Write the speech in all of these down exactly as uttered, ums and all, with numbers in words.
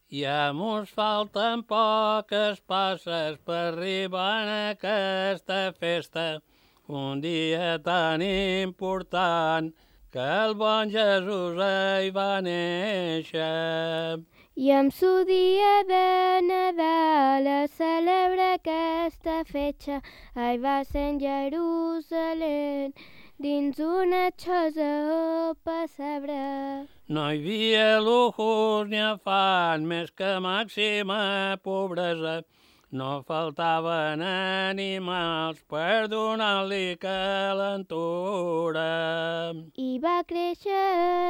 Ja mos falten poques passes per arribar a aquesta festa, un dia tan important que el bon Jesús hi va néixer. I amb su dia de Nadal es celebra aquesta fetge. Ai, va ser en Jerusalem, dins una xosa o pessebre. No hi havia lujos ni afany, més que màxima pobresa. No faltaven animals per donar-li calentura. I va créixer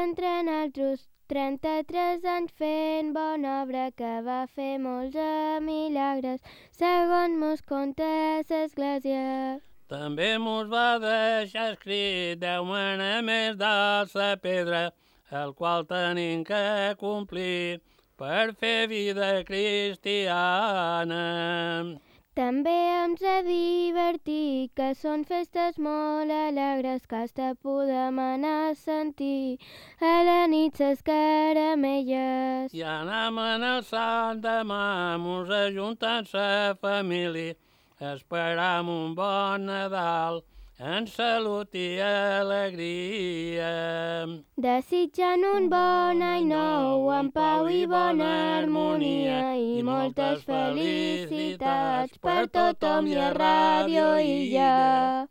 entre naltros trenta-tres anys fent bona obra, que va fer molts milagres, segons mos conta l'església. També mos va deixar escrit deu manaments de la pedra, el qual tenim que complir per fer vida cristiana. També ens ha divertit, que són festes molt alegres, que hasta podem anar a sentir a la nit ses caramelles. I anam en el sant demà, mos ajuntant sa família, esperam un bon Nadal, en salut i alegria. Desitjant un bon any nou, amb pau i bona harmonia, i moltes felicitats per tothom i a Ràdio Illa.